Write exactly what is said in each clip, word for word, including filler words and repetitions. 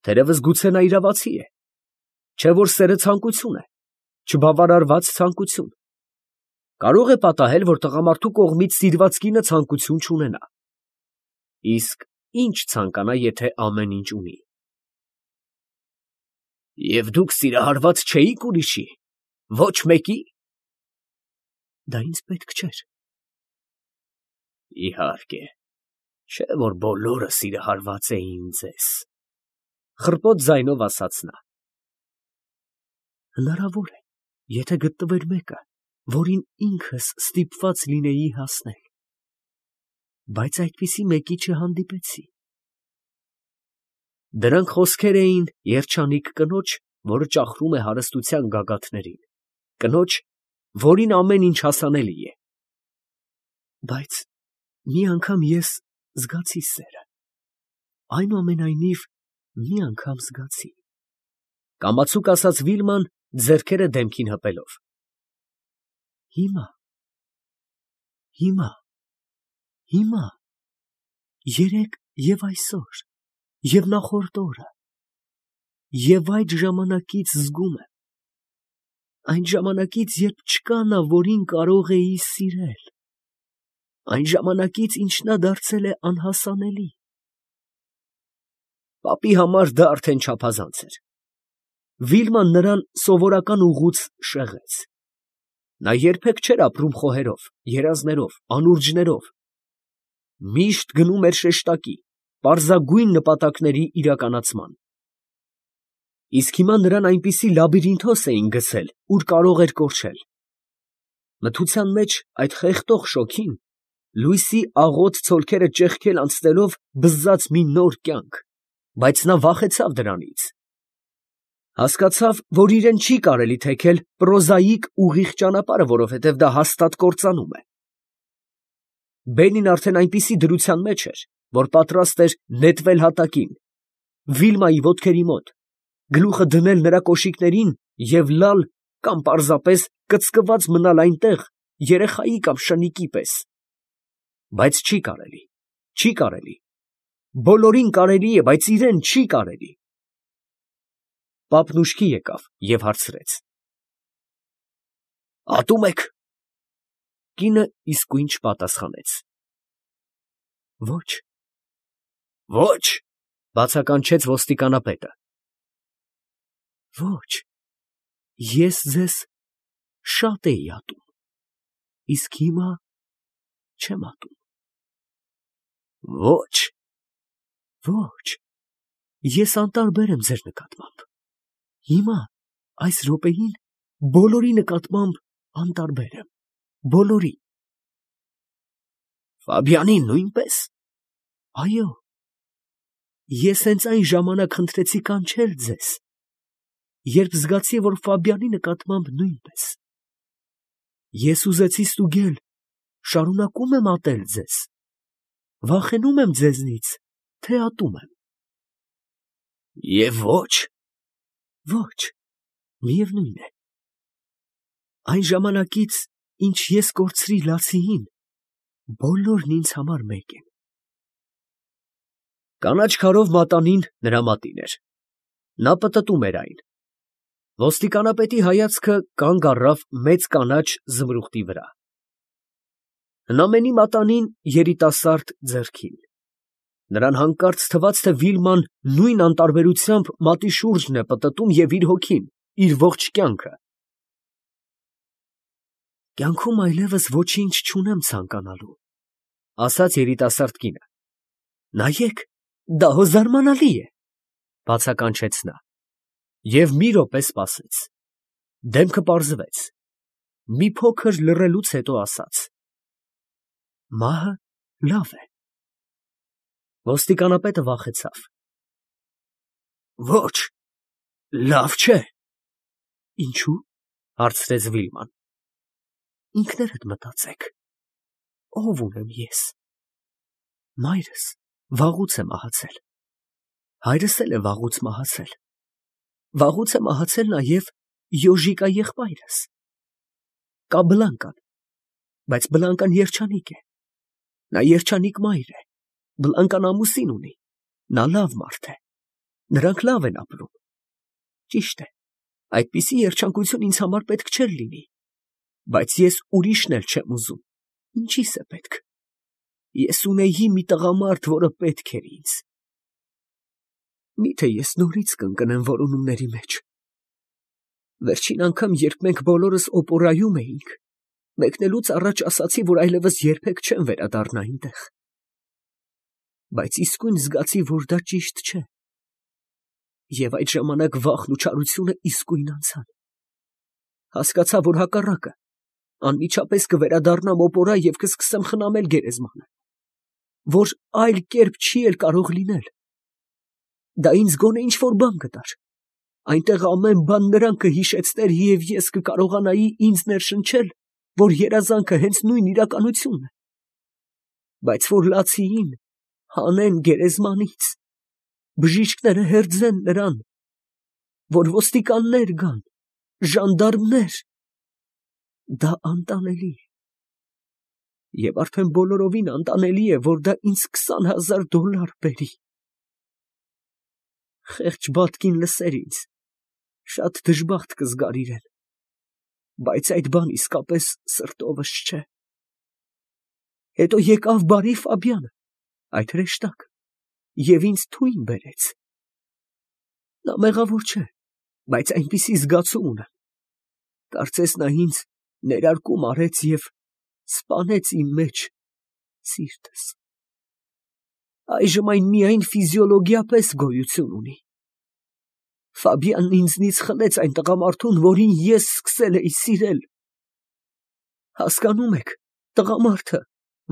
Թերևս գուցե նա իրավացի է, չէ՞ որ սերը ցանկություն է, չբավարարված ցանկություն. կարող է պատահել, որ տղամարդու կողմից սիրված կինը ցանկություն չունենա, իսկ ի՞նչ ցանկանա, եթե ամեն ինչ ունի։ Եվ դուք սիրահարված չէիք ուրիշի, ոչ մեկի։ Դա ինձ պետք չէր։ Իհարկե, չէ որ բոլորը սիրահարված էին ձեզ, խռպոտ ձայնով ասաց նա։ Հնարավոր է, եթե գտնվեր մեկը, որին ինքս ստիպված լինեի հասնել, բայց այդպիսի մեկի չհանդիպեցի։ Դրանք խոսքեր էին երջանիկ կնոջ, որը ճախրում է հարստության գագաթներին, կնոջ, որին ամեն ինչ հասանելի է։ Բայց մի անգամ ես զգացի սերը, այնուամենայնիվ մի անգամ զգացի, կամացուկ ասաց Վիլման, ձեռքերը դեմքին հպելով։ Հիմա, հիմա, հիմա, երեկ և այսօր, և նախորդ օրը, և այդ ժամանակից զգում եմ, այն ժամանակից, երբ չկա նա, որին կարող էի սիրել, այն ժամանակից, ինչ նա դարձել է անհասանելի։ Պապի համար դա արդեն չափազանց էր։ Վիլման նրան սովորական ուղուց շեղեց։ Նա երբեք չէր ապրում խոհերով, երազներով, անուրջներով, միշտ գնում էր շեշտակի, պարզագույն նպատակների իրականացման։ Իսկ հիմա նրան այնպիսի լաբիրինթոս էին գցել, ուր կարող էր կորչել։ Մթության մեջ այդ խեղդող շոգին, լույսի աղոտ ցոլքերը ճեղքել անցնելով բզզաց մի նոր կյանք, բայց նա վախեցավ դրանից։ Հասկացավ, որ իրեն չի կարելի թեքել պրոզայիկ ուղիղ ճանապարհը, որովհետև դա հաստատ կործանում է։ Բենին արդեն այնպիսի դրության մեջ էր, որ պատրաստ էր նետվել հատակին, Վիլմայի ոտքերի մոտ, գլուխը դնել նրա կոշիկներին և լալ կամ պարզապես կծկված մնալ այնտեղ երեխայի կամ շնիկի պես։ Բայց չի կարելի, չի կարելի, բոլորին կարելի է, բայց իրեն չի կարելի։ Պապն ուշքի եկավ և հարցրեց. Ատո՞ւմ եք։ Կինը իսկույն չպատասխանեց։ Ոչ։ Ոչ, բացականչեց ոստիկանապետը։ Ոչ, ես ձեզ շատ էի ատում, իսկ հիմա չեմ ատում։ Ոչ, ոչ, ես անտարբեր եմ ձեր նկատմամբ, հիմա, այս րոպեին, բոլորի նկատմամբ անտարբեր եմ, բոլորի։ Ֆաբիանին նույնպես։ Այո, ես հենց այն ժամանակ խնդրեցի կանչել ձեզ, երբ զգացի, որ Ֆաբիանի նկատմամբ նույնպես։ Ես ուզեցի ստուգել, շարունակում եմ ատել ձեզ, վախենում եմ ձեզնից, թե ատում եմ։ Եվ ոչ։ Ոչ, միևնույն է։ Այն ժամանակից, ինչ ես կորցրի Լացիին, բոլորն ինձ համար մեկ են։ Կանաչ քարով մատանին նրա մատին էր։ Նա պտտում էր այն։ Ոստիկանապետի հայացքը կանգ առավ մեծ կանաչ զմրուխտի վրա։ Հնամենի մատանին երիտասարդ ձեռքին։ Նրան հանկարծ թվաց, թե Վիլման նույն անտարբերությամբ մատի շուրջն է պտտում և իր հոգին, իր ողջ կյանքը։ Կյանքում այլևս ոչինչ չունեմ ցանկանալու, ասաց երիտասարդ կինը։ Նայեք, դա հո զարմանալի է, բացականչեց նա, և մի րոպե սպասեց։ Դեմքը պարզվեց։ Մի փոքր լռելուց հետո ասաց. Մահը լավ է։ Ոստիկանապետը վախեցավ։ Ոչ, լավ չէ։ Ինչո՞ւ, հարցրեց Վիլման։ Ինքներդ մտածեք, ով ունեմ ես։ Մայրս վաղուց է մահացել, հայրս էլ է վաղուց մահացել, վաղուց է մահացել նաև Յոժիկա եղբայրս։ Կա Բլանկան, բայց Բլանկան երջանիկ է, նա երջանիկ մայր է, Բլանկան ամուսին ունի, նա լավ մարդ է, Նրանք լավ են ապրում։ Ճիշտ է, այդպիսի երջանկություն ինձ համար պետք չէր լինի, բայց ես ուրիշն էլ չեմ ուզում, ինչի՞ս է պետք։ Ես ունեի մի տղամարդ, որը պետք էր ինձ։ Միթե ես նորից կընկնեմ որոնումների մեջ։ Վերջին անգամ, երբ մենք բոլորս օպերայում էինք, մեկնելուց առաջ ասացի, որ այլևս երբեք չեմ վերադառնա այնտեղ։ Բայց իսկույն զգացի, որ դա ճիշտ չէ։ Եվ այդ ժամանակ վախն ու չարությունը իսկույն անցան։ Հասկացա, որ հակառակը, անմիջապես կվերադառնամ օպերա և կսկսեմ խնամել գերեզմանը, որ այլ կերպ չի էլ կարող լինել։ Դա ինձ գոնե ինչ-որ բան կտար։ Այնտեղ ամեն բան նրան կհիշեցներ և ես կկարողանայի ինձ ներշնչել, որ երազանքը հենց նույն իրականությունն է։ Բայց որ լացիին հանեն գերեզմանից, բժիշկները հերձեն նրան, որ ոստիկաններ գան, ժանդարմներ, դա անտանելի է։ Եվ արդեն բոլորովին անտանելի է, որ դա ինձ քսան հազար դոլար բերի։ Խեղճ Բատկին լսեր ինձ, շատ դժբախտ կզգար իրեն, բայց այդ բան իսկապես սրտովս չէ։ Հետո եկավ բարի Ֆաբյանը, այդ հրեշտակ, և ինձ թույն բերեց։ Նա մեղավոր չէ, բայց այնպիսի զգացում ունեմ, կարծես նա ինձ ներարկում արեց և սպանեց իմ մեջ սիրտս։ Այժմ այն միայն ֆիզիոլոգիա պես գոյություն ունի։ Ֆաբյանն ինձնից խլեց այն տղամարդուն, որին ես սկսել էի սիրել։ Հասկանում եք, տղամարդը,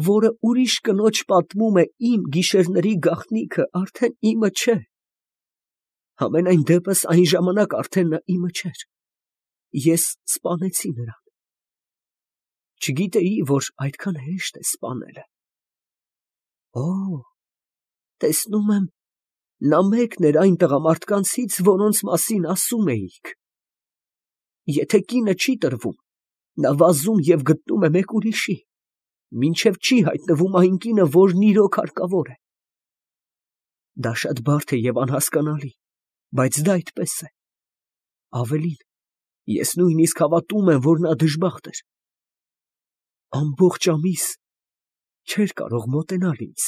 որը ուրիշ կնոջ պատմում է իմ գիշերների գաղտնիքը, արդեն իմը չէ։ Համենայն դեպս այն ժամանակ արդեն նա իմը չէր։ Ես սպանեցի նրան։ Չգիտեի, որ այդքան հեշտ է սպանելը։ Օ, տեսնում եմ, նա մեկն էր այն տղամարդկանցից, որոնց մասին ասում էիք։ Եթե կինը չի տրվում, նա վազում և գտնում է մեկ ուրիշի, մինչև չի հայտնվում այն կինը, որն իրոք հարկավոր է։ Դա շատ բարդ է և անհասկանալի, բայց դա այդպես է։ Ավելին, ես նույնիսկ հավատում եմ, որ նա դժբախտ էր։ Ամբողջ ամիս չէր կարող մոտենալ ինձ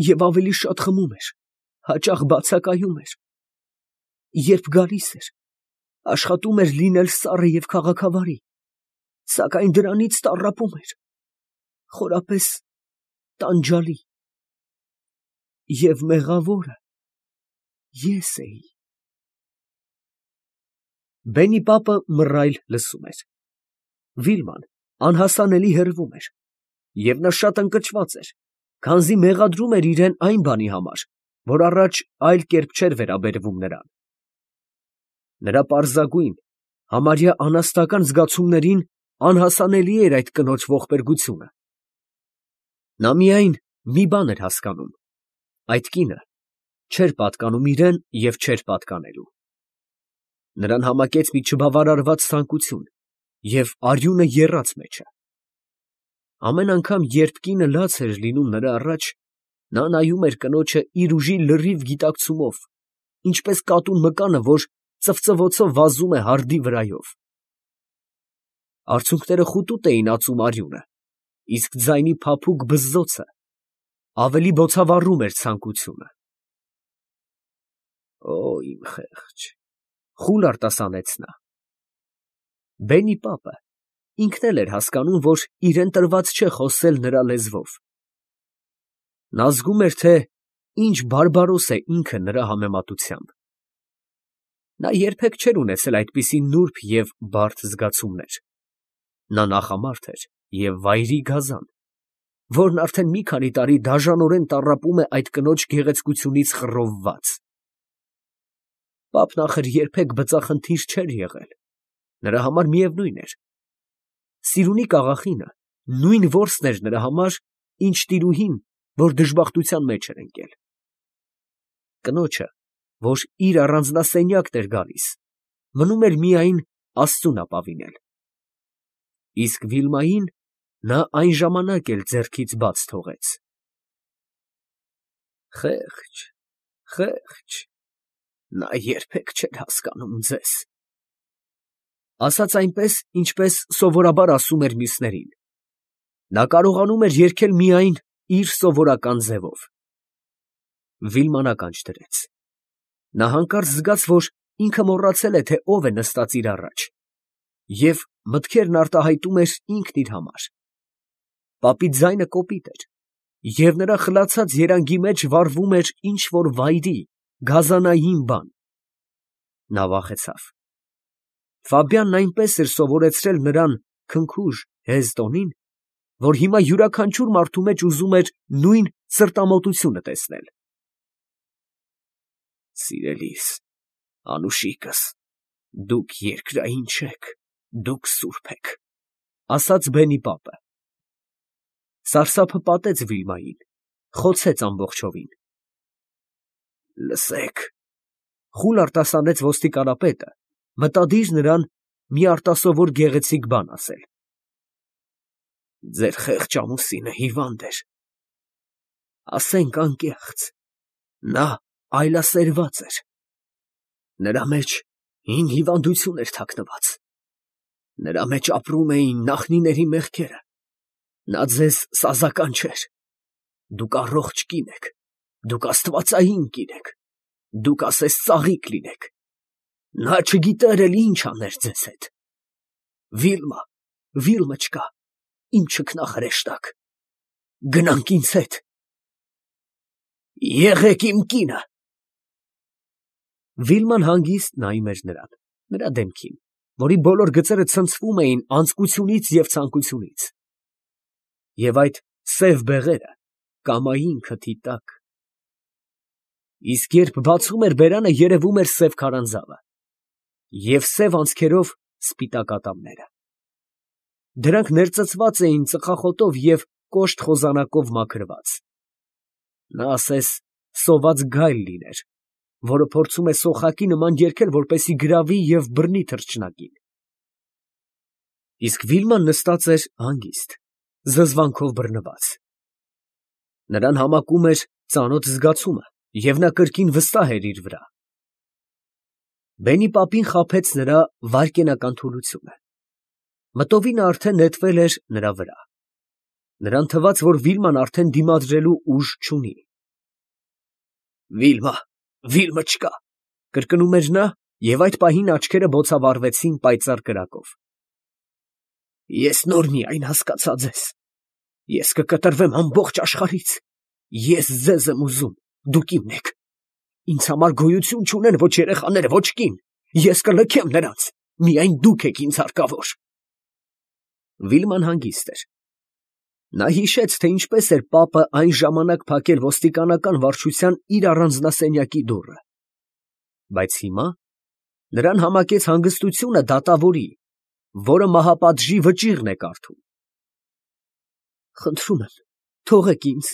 և ավելի շատ խմում էր, հաճախ բացակայում էր։ Երբ գալիս էր, աշխատում էր լինել սառը և քաղաքավարի, սակայն դրանից տառապում էր, խորապես տանջալի։ Եվ մեղավորը ես էի։ Բենի պապը մռայլ լսում էր։ Վիլման անհասանելի հրվում էր, և նա շատ ընկճված էր, քանզի մեղադրում էր իրեն այն բանի համար, որ առաջ այլ կերպ չէր վերաբերվում նրան։ Նրա պարզագույն, համարյա անասնական զգացումներին անհասանելի էր այդ կնոջ ողբերգությունը։ Նա միայն մի բան էր հասկանում. այդ կինը չէր պատկանում իրեն և չէր պատկանելու։ Նրան համակեց մի չբավարարված ցանկություն, և արյունը եռաց մեջը։ Ամեն անգամ, երբ կինը լաց էր լինում նրա առաջ, նա նայում էր կնոջը իր ուժի լրիվ գիտակցումով, ինչպես կատուն մկանը, որ ծվծվոցով վազում է հարդի վրայով։ Արցունքները խուտուտ էին ածում արյունը, իսկ ձայնի փափուկ բզզոցը ավելի բոցավառում էր ցանկությունը։ Օ, իմ խեղճ, խուլ արտասանեց նա։ Բենի պապը ինքն էլ էր հասկանում, որ իրեն տրված չէ խոսել նրա լեզվով։ Նա զգում էր, թե ինչ բարբարոս է ինքը նրա համեմատությամբ։ Նա երբեք չէր ունեցել այդպիսի նուրբ և բարդ զգացումներ։ Նա նախամարդ էր և վայրի գազան, որն արդեն մի քանի տարի դաժանորեն տառապում է այդ կնոջ գեղեցկությունից խռովված։ Պապն ախր երբեք բծախնդիր չէր եղել, նրա համար միևնույն էր։ Սիրունի աղախինը նույն որսն էր նրա համար, ինչ տիրուհին, որ դժբախտության մեջ էր ընկել։ Կնոջը, որ իր առանձնասենյակն էր գալիս, մնում էր միայն աստծուն ապավինել։ Իսկ Վիլմային նա այն ժամանակ էլ ձեռքից բաց թողեց։ Խեղճ, խեղճ, Նա երբեք չէր հասկանում ձեզ, ասաց այնպես, ինչպես սովորաբար ասում էր մյուսներին. նա կարողանում էր երգել միայն իր սովորական ձևով։ Վիլման ականջ դրեց։ Նա հանկարծ զգաց, որ ինքը մոռացել է, թե ով է նստած իր առաջ, և մտքերն արտահայտում էր ինքն իր համար։ Պապի ձայնը կոպիտ էր, և նրա խլացած երանգի մեջ վառվում էր ինչ֊որ վայրի, գազանային բան։ Նա վախեցավ։ Ֆաբյանն այնպես էր սովորեցրել նրան քնքուշ, հեզ տոնին, որ հիմա յուրաքանչյուր մարդու մեջ ուզում էր նույն սրտամոտությունը տեսնել։ Սիրելիս, անուշիկս, դուք երկրային չեք, դուք սուրբ եք, ասաց բենի պապը։ Սարսափը պատեց Վիլմային, խոցեց ամբողջովին։ Լսեք, խուլ արտասանեց ոստիկանապետը, մտադիր նրան մի արտասովոր գեղեցիկ բան ասել։ Ձեր խեղճ ամուսինը հիվանդ էր, ասենք անկեղծ, նա այլասերված էր, նրա մեջ հին հիվանդություն էր թաքնված, նրա մեջ ապրում էին նախնիների մեղքերը, նա ձեզ սազական չէր, դուք առողջ կին եք, դուք աստվածային կին եք, դուք ասես ծաղիկ լինեք, նա չգիտեր էլ ինչ աներ ձեզ հետ։ Վիլմա, Վիլմա չկա, իմ չքնաղ հրեշտակ, գնանք ինձ հետ։ Եղեք իմ կինը։ Վիլման հանգիստ նայում էր նրան, նրա դեմքին, որի բոլոր գծերը ցնցվում էին անձկությունից և ցանկությունից, և այդ սև բեղերը կամային քթի տակ։ Իսկ երբ բացում էր բերանը, երևում էր սև քարանձավը և սև անցքերով սպիտակ ատամները։ Դրանք ներծծված էին ծխախոտով և կոշտ խոզանակով մաքրված։ Նա ասես սոված գայլ լիներ, որը փորձում է սոխակի նման երգել, որպեսզի գրավի և բռնի թռչնակին։ Իսկ Վիլման նստած էր հանգիստ, զզվանքով բռնված։ Նրան համակում էր ծանոթ զգացումը, և նա կրկին վստահ էր իր վրա։ Բենի պապին խաբեց նրա վայրկենական թուլությունը։ Մտովինը արդեն նետվել էր նրա վրա։ Նրան թվաց, որ Վիլման արդեն դիմադրելու ուժ չունի։ Վիլմա, Վիլմա չկա, կրկնում էր նա, և այդ պահին աչքերը բոցավառվեցին պայծառ կրակով։ Ես նոր միայն հասկացա ձեզ, ես կկտրվեմ ամբողջ աշխարհից, ես ձեզ եմ ուզում, դուք իմն եք, ինձ համար գոյություն չունեն ոչ երեխաները, ոչ կին, ես կլքեմ նրանց, միայն դուք եք ինձ հարկավոր։ Վիլման հանգիստ էր։ Նա հիշեց, թե ինչպես էր պապը այն ժամանակ փակել ոստիկանական վարչության իր առանձնասենյակի դուռը, բայց հիմա նրան համակեց հանգստությունը դատավորի, որը մահապատժի վճիռն է կարդում։ Խնդրում եմ, թողեք ինձ։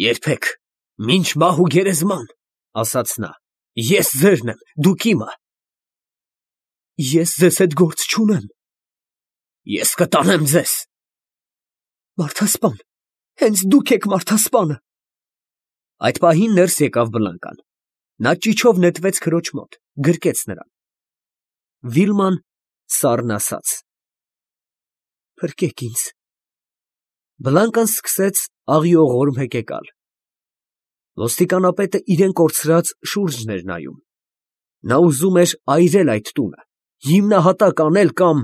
Երբեք, մինչ մահ ու գերեզման, ասաց նա, ես ձերն եմ, դուք իմը։ Ես ձեզ հետ գործ չունեմ։ Ես կտանեմ ձեզ։ Մարդասպան, հենց դուք եք մարդասպանը։ Այդ պահին ներս եկավ Բլանկան։ Նա ճիչով նետվեց քրոջ մոտ, գրկեց նրան։ Վիլման սառն ասաց. Փրկեք ինձ։ Բլանկան սկսեց աղիողորմ հեկեկալ։ Ոստիկանապետը իրեն կորցրած շուրջն էր նայում։ Նա ուզում էր այրել այդ տունը, հիմնահատակ անել կամ…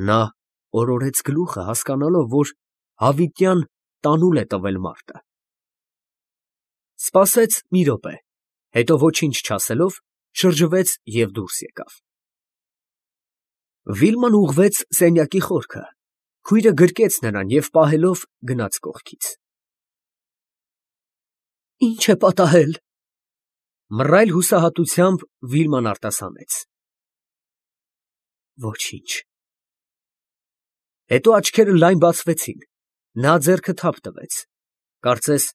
Նա օրորեց գլուխը, հասկանալով, որ հավիտյան տանուլ է տվել մարտը։ Սպասեց մի րոպե, հետո ոչինչ չասելով, շրջվեց և դուրս եկավ։ Վիլման ուղղվեց սենյակի խորքը, քույրը գրկեց նրան և պահելով գնաց կողքից։ Ի՞նչ է պատահել։ Մռայլ հուսահատությամբ Վիլման արտասանեց. Ոչինչ։ Հետո աչքերը լայն բացվեցին, նա ձեռքը թափ տվեց, կարծես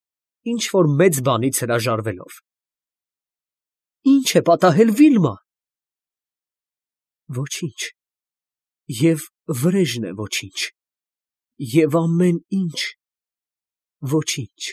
ինչ֊որ մեծ բանից հրաժարվելով։ Ի՞նչ է պատահել, Վիլմա։ Ոչինչ, և վրեժն է ոչինչ, և ամեն ինչ ոչինչ։